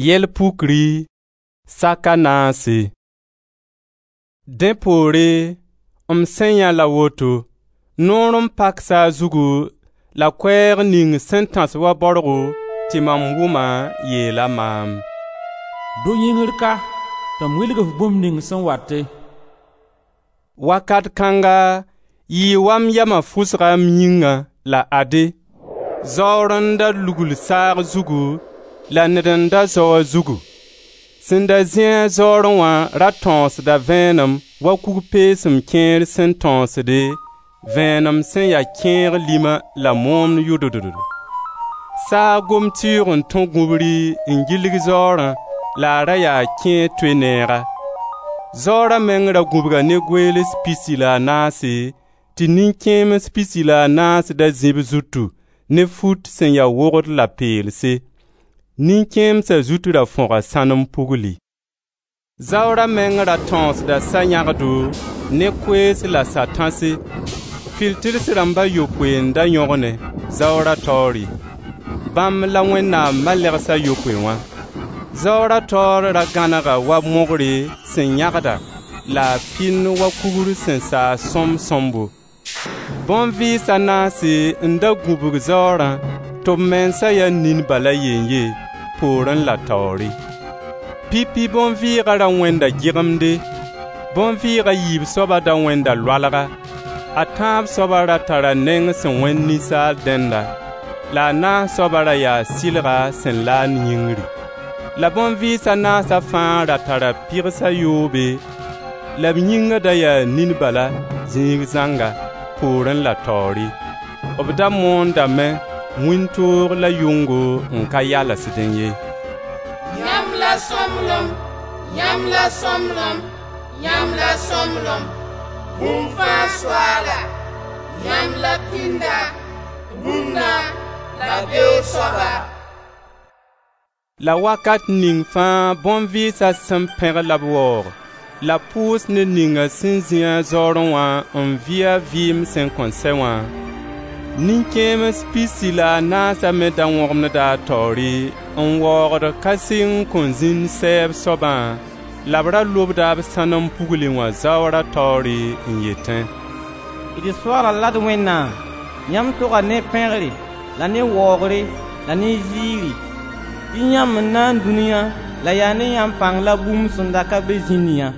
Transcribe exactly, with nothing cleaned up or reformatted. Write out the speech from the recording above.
Yɛl pukri, sak a naase. Dẽ poore, m sẽn yãe la woto: noor n pak saag zugu la koɛɛg ning sẽn tãs wa baorgo tɩ mam wʋma yeela maam: «Dʋ yĩngr ka tɩ m wilg-f bũmb ning sẽn wate.» Wakat kãnga yɩɩ wa m yama fʋsga m yĩngã la ade, zaoor n da lugl saag zugu la ned n da zao a zugu. Sẽn da zĩ-a zaoorẽ wã ra tãoosda vẽenem wa kug-peesem kẽer sẽn tãoosde, vẽenem sẽn ya kẽeg lima la moomd yʋdʋddo. Saag gom-tɩʋʋg n tõ gũbri n gilg zaoorã la a ra yaa kẽer toe neega. Zaoora meng ra gũbga ne goeels pisi la a naase, tɩ nin-kẽems pisi la a naas da zĩ b zutu ne fut sẽn ya wogd la peelse. Nin-kẽemsa zut ra fõga sãnem pugli. Zaoora meng ra tãoosda sa-yãgdo ne koees la sa-tãse. Fɩl-tɩrs rãmb a yopoe n da yõgenẽ zaoora taoore. Bãmb la Wẽnnaam malɛgs a yopoe wã. Zaoora taoor ra gãnega wa mogre sẽn yãgda la a pɩnd wa kugr sẽn saas sõmb-sõmbo. Bõn-vɩɩs a naase n da gũbg zaoorã tɩ b mensa ya nin bala yen-ye, poorẽ la taoore. Pipi bõn-vɩɩga ra wẽnda gɩgemde, bõn-vɩɩg a yiib soaba da wẽnda loalga, a tãab soaba ra tara neng sẽn wẽnd ninsaal dẽnda, la a naas soaba ra yaa sɩlga sẽn laand yĩngri. La bõn-vɩɩs a naasa fãa ra tara pɩgs a yoobe, la b yĩnga da yaa nin bala zĩig zãnga, poorẽ la taoore. B da moondame wĩntoog la yʋngo n ka yalsdẽ ye: «Yãmb la sõmblem, yãmb la sõmblem, yãmb la sõmblem, bũmb fãa Soaala! Yãmb la pĩnda, rũnna la beoog soaba.» La wakat ning fãa bõn-vɩɩsa sẽn pẽg la b waoog, la pʋʋs ned ninga sẽn zĩ-a zaoorẽ wã n vɩ a vɩɩm sẽn kõn sɛ wã, nin-kẽems pisi la a naasa me da wõgemda a taoore n waoogd ka sɩng kõn zĩnd sɛɛb soabã la b ra lobda b sãnem pugli wã zaoora taoore n yetẽ: «D Soaala la d Wẽnnaam, yãmb toga ne pẽgre la ne waoogre la ne ziiri, tɩ yãmb n naam dũniyã la yaa ne yãmb pãng la bũmb sẽn da ka be zĩnd yã.»